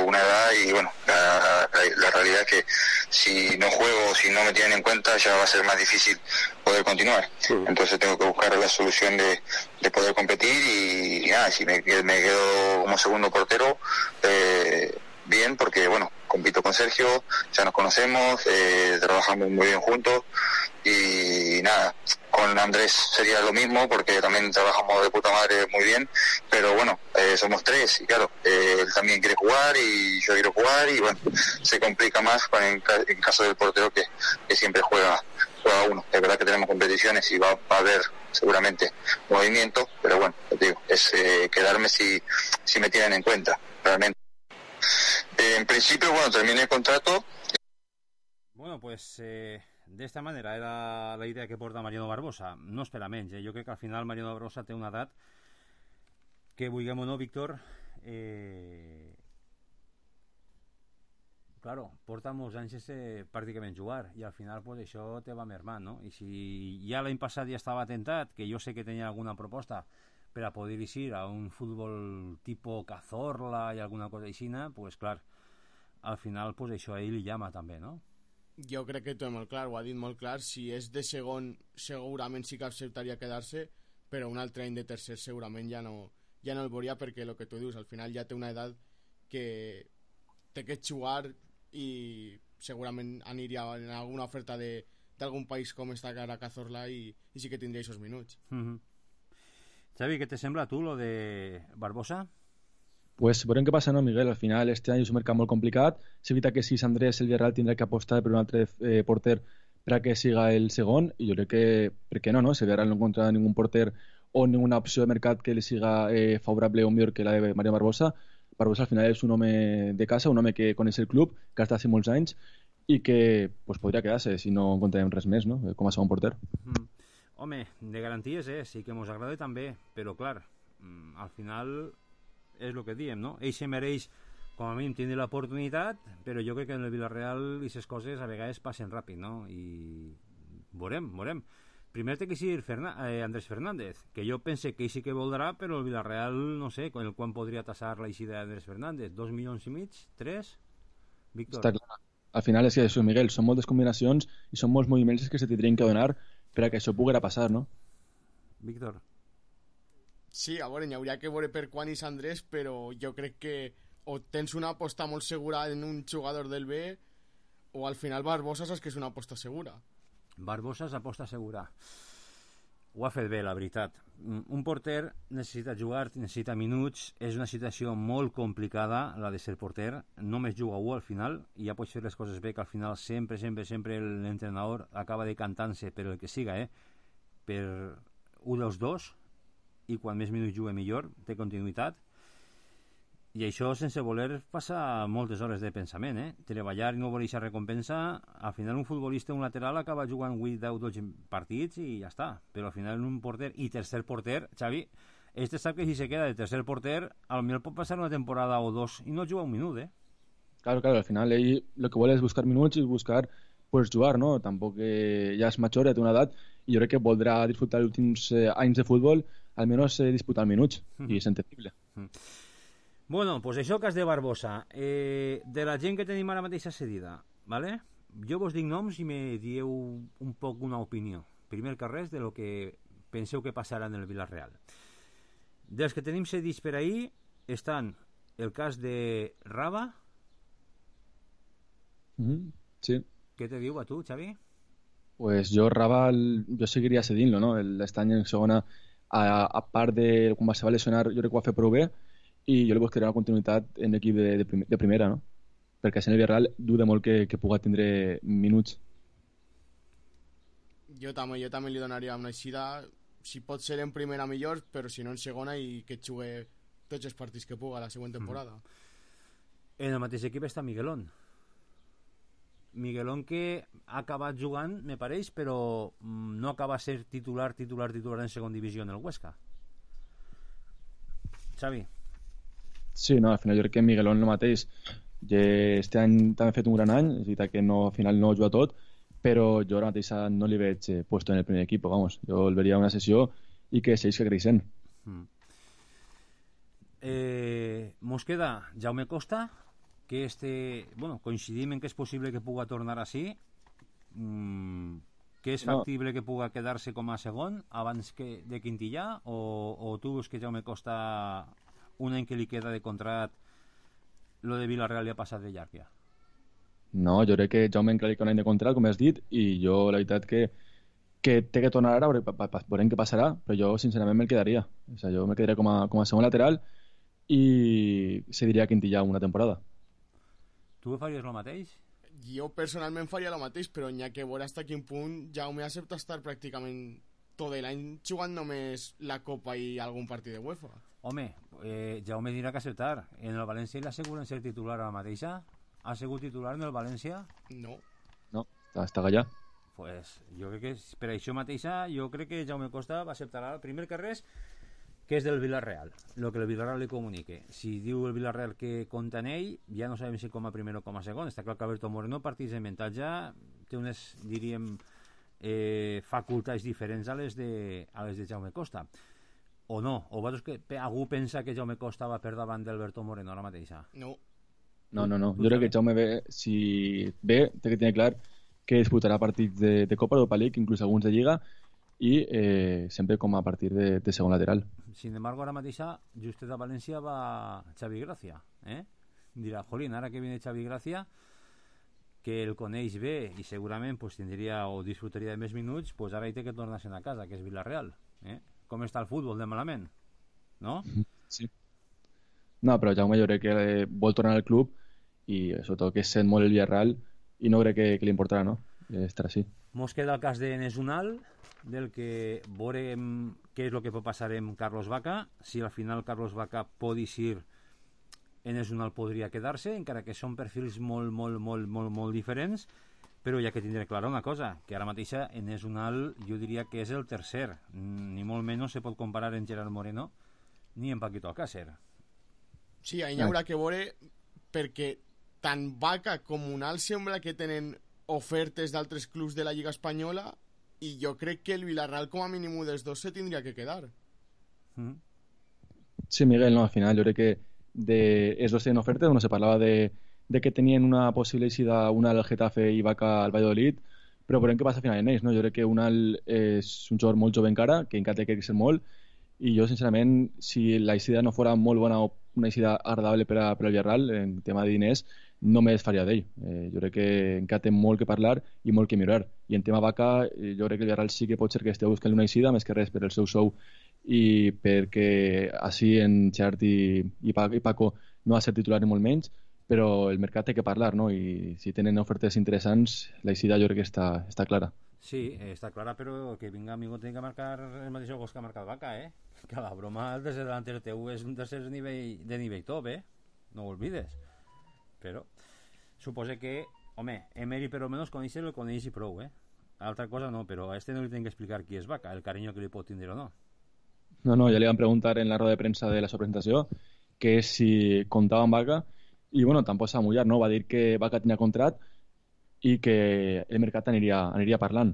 una edad y bueno, la realidad es que si no juego, si no me tienen en cuenta, ya va a ser más difícil poder continuar. Entonces tengo que buscar la solución de poder competir y nada, si me quedo como segundo portero, bien, porque bueno, compito con Sergio, ya nos conocemos, trabajamos muy bien juntos y nada, con Andrés sería lo mismo porque también trabajamos de puta madre muy bien, pero bueno, somos tres y claro, él también quiere jugar y yo quiero jugar y bueno, se complica más en caso del portero que siempre juega uno. Es verdad que tenemos competiciones y va a haber seguramente movimiento, pero bueno, te digo, es quedarme si me tienen en cuenta, realmente. En principio, bueno, terminé el contrato. Bueno, pues de esta manera era la idea que porta Mariano Barbosa. No espera menys, jo crec que al final Mariano Barbosa té una edat que, vulguem o no, Víctor, claro, porta molts anys pràcticament jugar i al final pues això te va mermant, no? I si ja l'any passat ja estava tentat, que jo sé que tenia alguna proposta per a poder ir a un futbol tipo Cazorla i alguna cosa aixina, pues clar, al final pues això a ell li llama també, no? Jo crec que ho té molt clar, ho ha dit molt clar. Si és de segon segurament sí que acceptaria quedar-se, però un altre any de tercer segurament ja no el veuria, perquè el que tu dius, al final ja té una edat que té que jugar i segurament aniria en alguna oferta d'algun país com està ara Cazorla i sí que tindria aquests minuts. Xavi, què te sembla tu lo de Barbosa? Pues veurem què passa, no, Miguel? Al final este any és un mercat molt complicat. És veritat que si és Andrés, el Villarreal tindrà que apostar per un altre porter per a que siga el segon, i jo crec que, per què no? Si el Villarreal no encontra ningún porter o ninguna opció de mercat que li siga favorable o millor que la de Mariano Barbosa, Barbosa al final és un home de casa, un home que coneix el club, que ha estat molts anys i que pues, podria quedar-se si no encontrem res més, no? Com a segon porter. Home, de garanties sí que ens agrada també, però clar, al final és el que diem, no? Ell se mereix, com a mínim, tindre l'oportunitat, però jo crec que en el Villarreal aquestes coses a vegades passen ràpid, no? I veurem. Primer té que ser Andrés Fernández, que jo pense que ell sí que voldrà, però el Villarreal, no sé, quan podria tassar la eixida d'Andrés Fernández? 2,5 milions? 3? Víctor? Està clar. Al final és que això, Miguel, són moltes combinacions i són molts moviments que se tindrien que donar per a que això poguera passar, no? Víctor? Sí, a veure, hi hauria que veure per quan és Andrés, però jo crec que o tens una aposta molt segura en un jugador del B o al final Barbosa saps que és una aposta segura. Barbosa és aposta segura. ho ha fet bé, la veritat. Un porter necessita jugar, necessita minuts, és una situació molt complicada la de ser porter, només juga un al final i ja pots fer les coses bé, que al final sempre l'entrenador acaba decantant-se per el que siga, per un dels dos, i quan més minuts juga millor, té continuïtat, i això sense voler passar moltes hores de pensament, treballar i no voler aquesta recompensa. Al final un futbolista, un lateral, acaba jugant 8, 10, 12 partits i ja està, però al final un porter i tercer porter, Xavi, sap que si se queda de tercer porter al millor pot passar una temporada o dos i no juga un minut, Claro, al final ell lo que vol és buscar minuts i buscar pues jugar, no? Tampoc ja és major, ja té una edat i jo crec que voldrà disfrutar els últims anys de futbol, almenys disputar minuts, i és entendible. Bueno, pues això, cas de Barbosa. De la gent que tenim ara mateix cedida, ¿vale? Jo vos dic noms i me dieu un poc una opinió. Primer que res, de lo que penseu que passarà en el Villarreal. Dels que tenim cedits per ahir estan el cas de Raba. Sí. Què te diu a tu, Xavi? Pues jo Raba jo seguiria cedint-lo, no? L'estany en segona, a part de quan se va lesionar, jo crec que ho va fer prou bé, i jo li buscaré una continuïtat en l'equip de primera, no? Perquè en el Villarreal duda molt que pugui tindre minuts. Jo també li donaria una eixida, si pot ser en primera millor, però si no en segona, i que jugui tots els partits que puga la següent temporada. En el mateix equip està Miguelón, que ha acabat jugant, me pareix, però no acaba de ser titular en segona divisió en el Huesca. Xavi? Sí, no, al final jo crec que Miguelón el mateix. Este any també ha fet un gran any, és veritat que al final no juga tot, però jo ara mateix no li veig puesto en el primer equip, vamos. Jo el veria una sessió i que segueix creixent. Mos queda Jaume Costa, que coincidim en que és possible que puga tornar així, que és factible que puga quedar-se com a segon abans de Quintillà, o tu veus que Jaume Costa, un any que li queda de contract, lo de Villarreal li ha passat de llarg ja? No, jo crec que Jaume encara li queda un any de contract, com has dit, i jo la veritat que té que tornar ara, veurem què passarà, però jo sincerament me'l quedaria. O sigui, jo me'l quedaria com a segon lateral i se diria Quintillà una temporada. Tu faries el mateix? Jo personalment faria el mateix, però n'hi ha que veure fins a quin punt Jaume accepta estar pràcticament tot l'any jugant només la Copa i algun partit de UEFA. Home, Jaume dirà que acceptar. En el València li asseguren ser titular a la mateixa? Ha sigut titular en el València? No. No, està allà. Pues jo crec que per això mateixa, jo crec que Jaume Costa va acceptar el primer que res, que és del Villarreal, el que el Villarreal li comunique. Si diu el Villarreal que compta en ell, ja no sabem si com a primer o com a segon. Està clar que Alberto Moreno, partits de mentatge, té unes, diríem, facultats diferents a les de Jaume Costa. O no? O vosaltres que algú pensa que Jaume Costa va per davant d'Alberto Moreno ara mateixa? No. No. Jo crec que Jaume si té que tenir clar que disputarà partits de Copa Europa League, inclús alguns de Lliga, i sempre com a partir de segon lateral. Sin embargo, ara mateixa, justet a València va Xavi Gracia. Dirà, jolín, ara que viene Xavi Gracia, que el coneix bé i segurament pues, tindria o disfrutaria de més minuts, pues ara hi té que tornar-se a casa, que és Villarreal. Com està el futbol de malament? No? Sí. No, però Jaume jo crec que vol tornar al club i sobretot que sent molt el Villarreal i no crec que li importarà, no? Estar així. Mos queda el cas de Enes Unal, del que veurem què és el que pot passar amb Carlos Vaca. Si al final Carlos Vaca pot eixir, Enes Unal podria quedar-se, encara que són perfils molt diferents, però ja que tindré clara una cosa, que ara mateixa Enes Unal jo diria que és el tercer, ni molt menys se pot comparar en Gerard Moreno ni en Paquito Alcácer. Sí, ahí haurà que veure, perquè tant Vaca com Unal sembla que tenen ofertes d'altres clubs de la Lliga Espanyola i jo crec que el Villarreal com a mínim dels dos se tindria que quedar. Sí, Miguel, no, al final jo crec que els dos tenen ofertes, on se parlava de que tenien una possible eixida Unal al Getafe i Vaca al Valladolid, però veurem què passa al final en ells, no? Jo crec que Unal és un jugador molt jove encara, que encara té que créixer molt, i jo sincerament, si la eixida no fora molt bona o una eixida agradable per al Villarreal en tema de diners, no me desfaria d'ell. Jo crec que encara té molt que parlar i molt que millorar. I en tema Vaca, jo crec que el Villarreal sí que pot ser que esteu buscant una eixida, més que res per el seu sou i perquè així en Xart i Paco no ha de ser titular ni molt menys, però el mercat té que parlar, no? I si tenen ofertes interessants, l'eixida jo crec que està clara. Sí, està clara, però que vinga amigo té que marcar el mateix gol que ha marcat Vaca, que la broma el tercer delanter teu és un tercer de nivell top, no ho olvides. Però suposo que, home, Emery per almenys conèixer el coneix i prou, altra cosa no, però a este no li tinc que explicar qui és Vaca, el carinyo que li pot tindre o no. No, ja li van preguntar en la roda de premsa de la seva presentació que si comptava amb Vaca i bueno, tampoc s'ha mullat, no? Va dir que Vaca tenia contrat i que el mercat aniria parlant.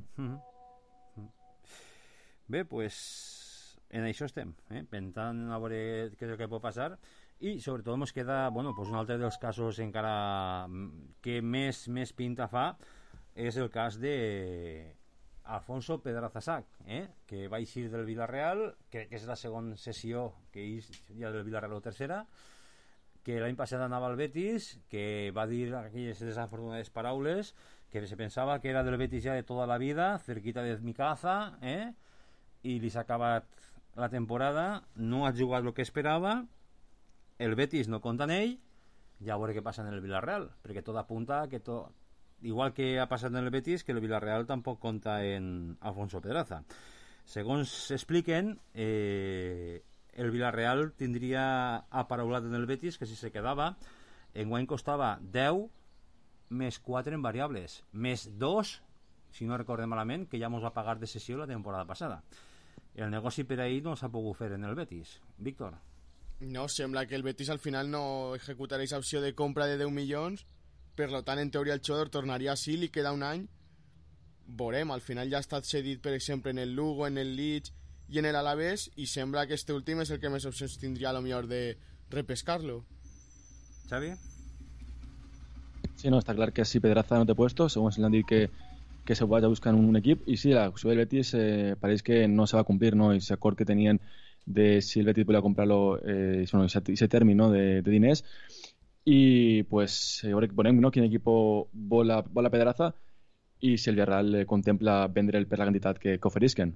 Bé, pues en això estem, pensant a veure què és el que pot passar i sobretot ens queda, bueno, pues un altre dels casos encara que més pinta fa és el cas de Alfonso Pedraza Sac, que va eixir del Villarreal, crec que és la segona sessió que eix ja del Villarreal o tercera, que l'any passat anava al Betis, que va dir aquelles desafortunades paraules, que se pensava que era del Betis ja de tota la vida, cerquita de mi casa, i li s'ha acabat la temporada, no ha jugat el que esperava, el Betis no compta en ell, ja veure què passa en el Villarreal, perquè tot apunta que igual que ha passat en el Betis, que el Villarreal tampoc compta en Alfonso Pedraza. Segons s'expliquen, el Villarreal tindria aparaulat en el Betis que si se quedava, enguany costava 10 més 4 en variables, més 2, si no recordem malament, que ja mos va pagar de sessió la temporada passada. El negoci per ahir no s'ha pogut fer en el Betis. Víctor? No, sembla que el Betis al final no executarà aquesta opció de compra de 10 milions, per tant, en teoria el jugador tornaria a Sil i queda un any. Veurem, al final ja ha estat cedit, per exemple, en el Lugo, en el Leeds i en el Alavés, i sembla que este últim és el que més opcions tindria a lo millor de repescar-lo. Xavi? Sí, no, està clar que si Pedraza no té puesto, segons l'han dit que se vaya buscant un equip, i sí, la opció del Betis pareix que no se va complir, no? I l'acord que tenien de si el Betis volia comprar-lo, ese término de diners, i pues veurem, no, quin equip vol la Pedraza i si el Villarreal contempla vendre'l per la quantitat que oferisquen.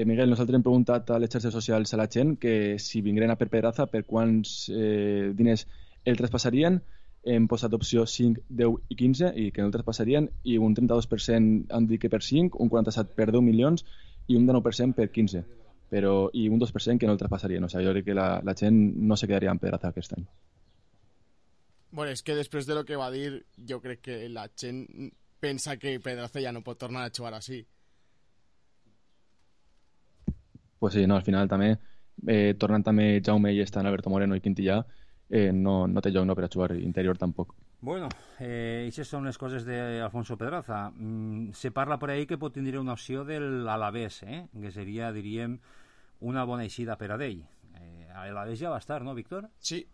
Miguel, nosaltres hem preguntat a les xarxes socials a la gent que si vingueren a per Pedraza per quants diners el traspassarien. Hem posat opció 5, 10 i 15 i que no el traspassarien, i un 32% han dit que per 5, un 47% per 10 milions i un 19% per 15, i un 2% que no el traspassarien. O sigui, jo crec que la gent no se quedaria amb Pedraza aquest any. Bueno, és que després de lo que va dir, jo crec que la gent pensa que Pedraza ja no pot tornar a jugar així. Pues sí, no, al final també, tornant també Jaume i estan Alberto Moreno i Quintillà, no té lloc per a jugar interior tampoc. Bueno, aquestes són les coses d'Alfonso Pedraza. Se parla per ahí que pot tindre una opció de l'Alavés, que seria, diríem, una bona eixida per a d'ell. L'Alavés ja va estar, no, Víctor? Sí,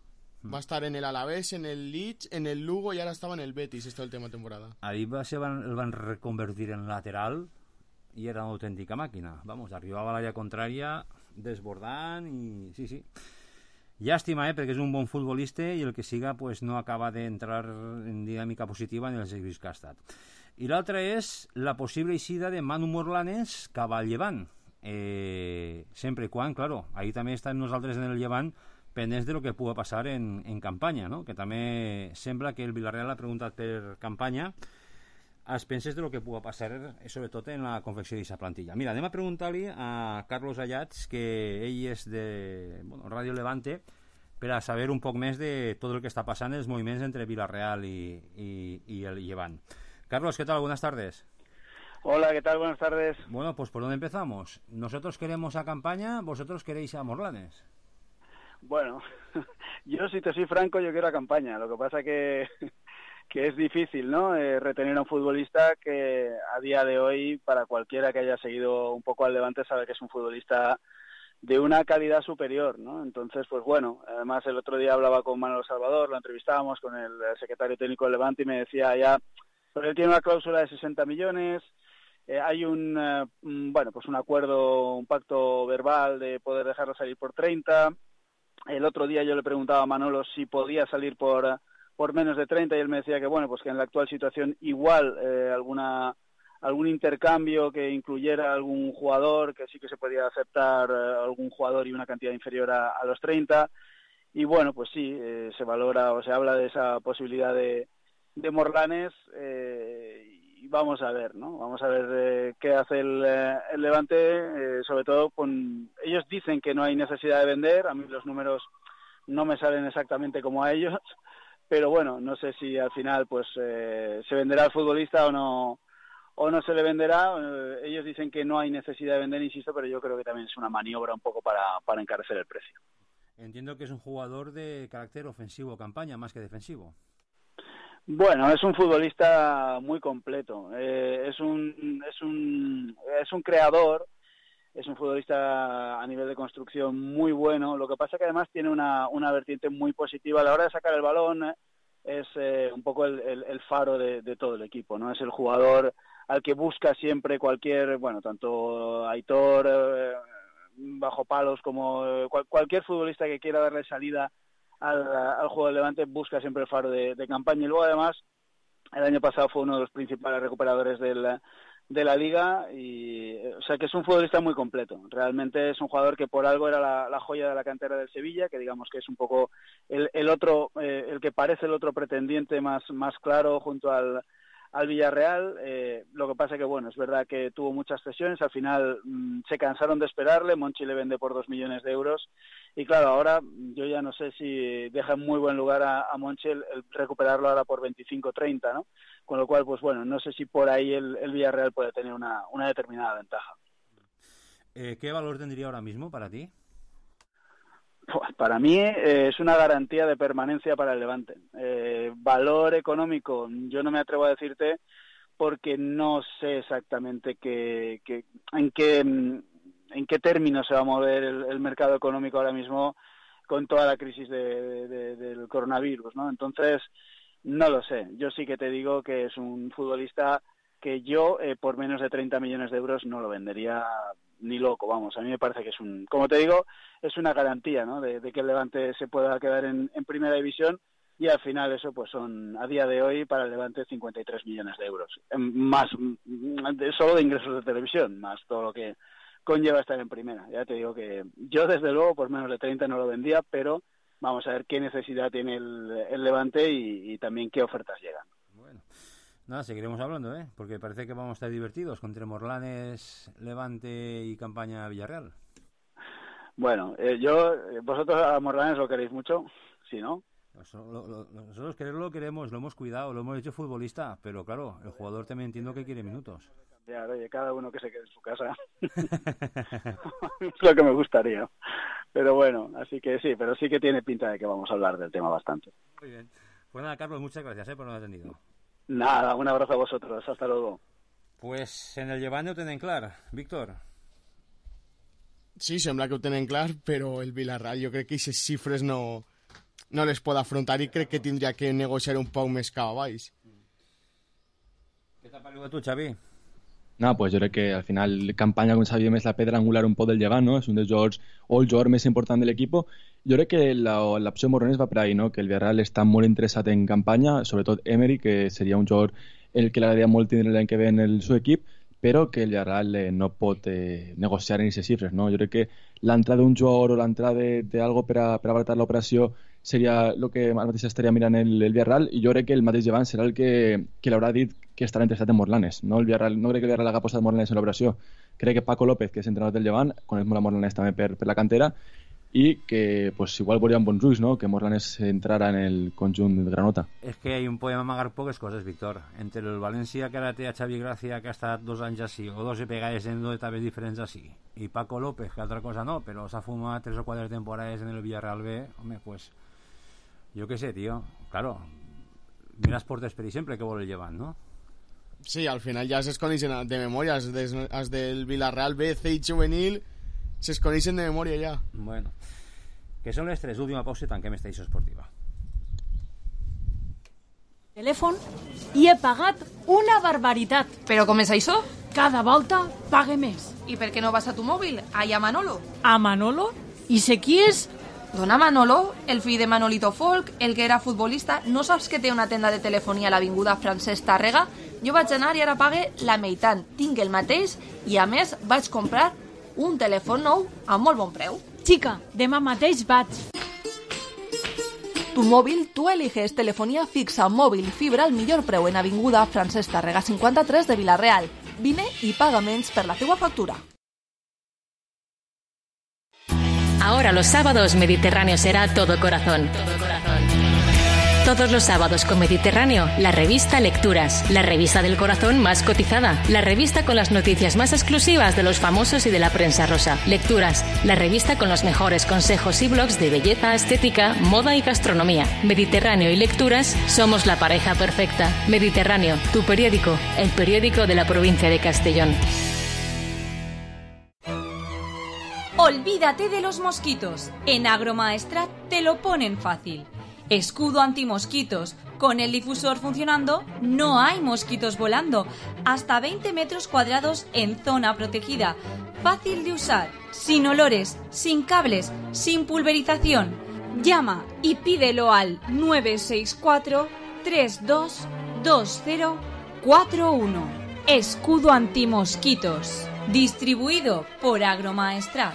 va estar en el Alavés, en el Leeds, en el Lugo i ara estava en el Betis esta última temporada. Ahí el van reconvertir en lateral i era una autèntica màquina. Vamos, arribava a l'àrea contrària desbordant i... Sí. Llàstima, perquè és un bon futbolista i el que siga pues, no acaba d'entrar en dinàmica positiva en els equips que ha estat. I l'altra és la possible eixida de Manu Morlanes cap al Llevant. Sempre i quan, claro, ahí també estem nosaltres en el Llevant pendents de lo que pugui passar en campanya, no? Que també sembla que el Villarreal ha preguntat per campanya als penses de lo que pugui passar sobretot en la confecció d'aquesta plantilla. Mira, anem a preguntar-li a Carlos Ayats, que ell és de Radio Levante, per a saber un poc més de tot el que està passant, els moviments entre Villarreal y el Llevant. Carlos, ¿qué tal? Buenas tardes. Hola, ¿qué tal? Buenas tardes. Bueno, pues ¿por dónde empezamos? Nosotros queremos a campaña, vosotros queréis a Morlanes. Bueno, yo si te soy franco, yo quiero a campaña. Lo que pasa que es difícil, ¿no? Retener a un futbolista que a día de hoy, para cualquiera que haya seguido un poco al Levante, sabe que es un futbolista de una calidad superior, ¿no? Entonces, pues bueno, además el otro día hablaba con Manolo Salvador, lo entrevistábamos con el secretario técnico del Levante y me decía ya, pues él tiene una cláusula de 60 millones, hay un acuerdo, un pacto verbal de poder dejarlo salir por 30. El otro día yo le preguntaba a Manolo si podía salir por por menos de 30, y él me decía que, bueno, pues que en la actual situación igual algún intercambio que incluyera algún jugador, que sí que se podía aceptar algún jugador y una cantidad inferior a los 30, y bueno, pues sí, se valora o se habla de esa posibilidad de Morlanes, y vamos a ver, ¿no? Vamos a ver qué hace el Levante, sobre todo ellos dicen que no hay necesidad de vender, a mí los números no me salen exactamente como a ellos, pero bueno, no sé si al final pues se venderá el futbolista o no se le venderá. Ellos dicen que no hay necesidad de vender, insisto, pero yo creo que también es una maniobra un poco para encarecer el precio. Entiendo que es un jugador de carácter ofensivo, campaña, más que defensivo. Bueno, es un futbolista muy completo. Es un creador, es un futbolista a nivel de construcción muy bueno. Lo que pasa que además tiene una vertiente muy positiva a la hora de sacar el balón. Es un poco el faro de todo el equipo, ¿no? Es el jugador al que busca siempre tanto Aitor bajo palos como cualquier futbolista que quiera darle salida al juego del Levante, busca siempre el faro de campaña. Y luego además el año pasado fue uno de los principales recuperadores de la liga, y o sea que es un futbolista muy completo. Realmente es un jugador que por algo era la joya de la cantera del Sevilla, que digamos que es un poco el otro, el que parece el otro pretendiente más claro junto al Villarreal. Lo que pasa que bueno, es verdad que tuvo muchas cesiones, al final se cansaron de esperarle, Monchi le vende por 2 millones de euros, y claro, ahora yo ya no sé si deja en muy buen lugar a Monchi el recuperarlo ahora por 25-30, ¿no? Con lo cual, pues bueno, no sé si por ahí el Villarreal puede tener una determinada ventaja. ¿Qué valor tendría ahora mismo para ti? Pues para mí es una garantía de permanencia para el Levante. Valor económico, yo no me atrevo a decirte, porque no sé exactamente en qué términos se va a mover el mercado económico ahora mismo con toda la crisis del coronavirus, ¿no? Entonces, no lo sé. Yo sí que te digo que es un futbolista que yo por menos de 30 millones de euros no lo vendería ni loco, vamos. A mí me parece que como te digo, es una garantía, ¿no? De que el Levante se pueda quedar en primera división, y al final eso pues son, a día de hoy, para el Levante 53 millones de euros. Más solo de ingresos de televisión, más todo lo que conlleva estar en primera. Ya te digo que yo desde luego por menos de 30 no lo vendía, pero vamos a ver qué necesidad tiene el Levante y también qué ofertas llegan. Bueno, nada, seguiremos hablando, porque parece que vamos a estar divertidos con Morlanes, Levante y campaña Villarreal. Bueno, vosotros a Morlanes lo queréis mucho, ¿sí, no? Nosotros quererlo queremos, lo hemos cuidado, lo hemos hecho futbolista, pero claro, el jugador también entiendo que quiere minutos. Ya, oye, cada uno que se quede en su casa. Es lo que me gustaría. Pero bueno, así que sí, pero sí que tiene pinta de que vamos a hablar del tema bastante. Muy bien. Pues nada, Carlos, muchas gracias por habernos atendido. Nada, un abrazo a vosotros. Hasta luego. Pues en el Llevant ho tenen clar. Víctor? Sí, sembla que ho tenen clar, però el Villarreal jo crec que aquestes xifres no les pot afrontar, i crec que tindria que negociar un poc més cap a baix. Què t'ha paregut a tu, Xavi? Nada, pues yo creo que al final campaña con Xavi es la pedra angular un poco del Llevant, ¿no? Es un dels jugadors, o el jugador més important de l'equip. Jo crec que l'opció Morlanes va per ahí, ¿no? Que el Villarreal està molt interessat en campanya, sobretot Emery, que seria un jugador el que l'agradaria molt tindre l'any que ve en el seu equip, però que el Villarreal no pot negociar en aquestes xifres, no? Jo crec que l'entrada d'un jugador o l'entrada d'algo per abaratar l'operació seria el que ara mateix estaria mirant el Villarreal, i jo crec que el mateix Llevant serà el que l'haurà dit que estarà interessat en Morlanes. No crec que el Villarreal haga apostat Morlanes en l'operació. Crec que Paco López, que és entrenador del Llevant, coneix molt a Morlanes també per la cantera, i que pues, igual veuríem bons ulls, no? Que Morlanes entrara en el conjunt de Granota. És que podem amagar poques coses, Víctor. Entre el València, que ara té a Xavi Gracia, que ha estat 2 anys així, o 2 vegades en 2 etapes diferents així, i Paco López, que altra cosa no, però s'ha fumat 3 o 4 temporades en el Villarreal B, home, pues, jo què sé, tio, claro, mires portes per exemple que vol el Llevant, no? Sí, al final ja es coneixen de memòria, els del Villarreal B, C i juvenil, se coneixen de memòria ja. Bueno, que són les 3, última pausa i tanquem esta edició esportiva. Telèfon i he pagat una barbaritat. Però com és això? Cada volta pague més. I per què no vas a tu mòbil? Allà a Manolo. A Manolo? I sé qui és? Dona Manolo, el fill de Manolito Folk, el que era futbolista, no saps que té una tenda de telefonia a l'avinguda Francesc Tàrrega? Jo vaig anar i ara pague la meitat. Tinc el mateix i, a més, vaig comprar un telèfon nou a molt bon preu. Xica, demà mateix vaig. Tu mòbil, tu eliges telefonia fixa, mòbil, fibra al millor preu en avinguda Francesc Tàrrega 53 de Vila-real. Vine i paga menys per la teua factura. Ahora los sábados Mediterráneo será todo corazón. Todos los sábados con Mediterráneo, la revista Lecturas, la revista del corazón más cotizada, la revista con las noticias más exclusivas de los famosos y de la prensa rosa. Lecturas, la revista con los mejores consejos y blogs de belleza, estética, moda y gastronomía. Mediterráneo y Lecturas somos la pareja perfecta. Mediterráneo, tu periódico, el periódico de la provincia de Castellón. Olvídate de los mosquitos. En Agromaestrat te lo ponen fácil. Escudo antimosquitos. Con el difusor funcionando, no hay mosquitos volando. Hasta 20 metros cuadrados en zona protegida. Fácil de usar, sin olores, sin cables, sin pulverización. Llama y pídelo al 964-322041. Escudo antimosquitos. Distribuido por Agromaestrat.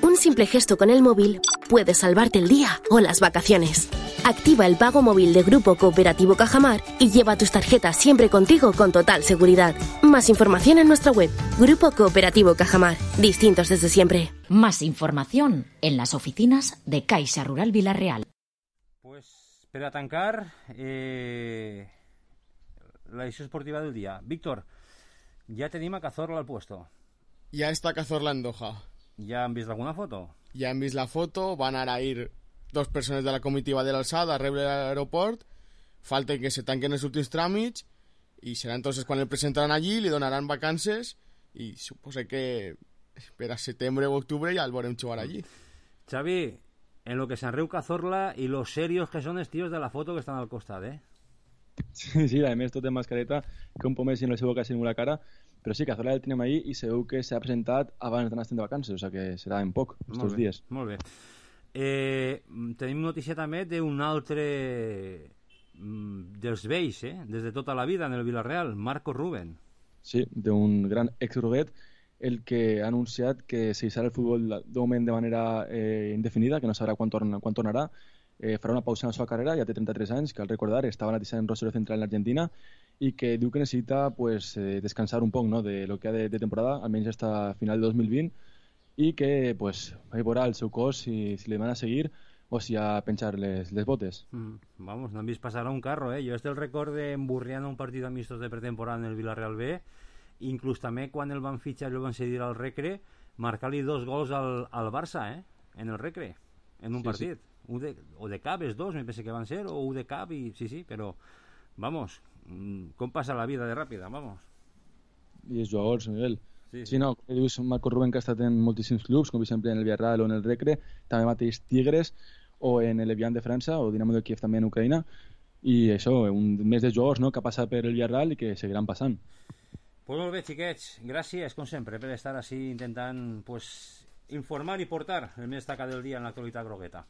Un simple gesto con el móvil puede salvarte el día o las vacaciones. Activa el pago móvil de Grupo Cooperativo Cajamar y lleva tus tarjetas siempre contigo con total seguridad. Más información en nuestra web, Grupo Cooperativo Cajamar. Distintos desde siempre. Más información en las oficinas de Caixa Rural Vila-real. Pues, per a tancar, la edició esportiva del dia. Víctor, ja tenim a Cazorla al puesto. Ya está Cazorla en Doha. ¿Ya han visto alguna foto? Ya han visto la foto, van a ir 2 persones de la comitiva de l'alçada a rebre l'aeroport, falta que se tanquen els últims tràmits i serà entonces quan el presentaran allí, li donaran vacances i suposo que per a setembre o octubre ja el veurem jugar allí. Xavi, en lo que se'n riu Cazorla i los serios que són els tios de la foto que estan al costat, Sí, a més tot de mascareta, que un pomés en la seva boca sin la cara, però sí, Cazorla el tenim ahí i segur que s'ha presentat abans d'anar de vacances, o sigui que serà en poc, estos dies. Molt bé. Tenim notícia també d'un altre dels vells, des de tota la vida en el Vila-real, Marco Rubén. Sí, d'un gran ex-Roguet, el que ha anunciat que seguirà el futbol de moment de manera indefinida, que no sabrà quan tornarà, farà una pausa en la seva carrera, ja té 33 anys, cal recordar, estava analitzant en Rosario Central en l'Argentina i que diu que necessita descansar un poc de lo que ha de temporada, almenys fins a final de 2020, i que veurà el seu cos si li demana seguir o si ha penjar les botes. Vamos, no han vist passar un carro, Jo el record d'emburriant un partit amistos de pretemporada en el Vila-real B, inclús també quan el van fitxar i el van cedir al Recre, marcar-li 2 gols al Barça, en el Recre, en un partit. Sí. O de cap, els 2, me penso que van ser, o un de cap, i sí, però, vamos, com passa la vida de ràpida, vamos. I els jugadors, Miguel. Sí, no, dius Marco Rubén, que ha estat en moltíssims clubs, com per exemple en el Villarreal o en el Recre, també mateix Tigres, o en el Evian de França, o Dinamo de Kiev també en Ucraïna, i això, un mes de jugadors que ha passat per el Villarreal i que seguiran passant. Pues molt bé, xiquets, gràcies, com sempre, per estar així intentant informar i portar el més destacat del dia en l'actualitat grogueta.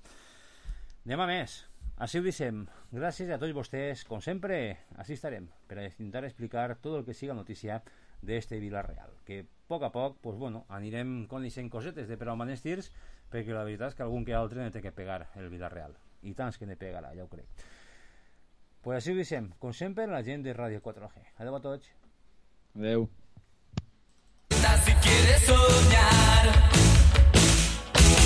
Anem a més, així ho deixem. Gràcies a tots vostès, com sempre, així estarem per a intentar explicar tot el que siga notícia d'este Vila-real, que a poc a poc anirem coneixent cosetes de per on van els tirs, perquè la veritat és que algun que altre ne té que pegar el Vila-real, i tants que ne pegarà, ja ho crec. Pues així ho deixem, com sempre, la gent de Ràdio 4G. Adeu a tots. Adeu. Si quieres soñar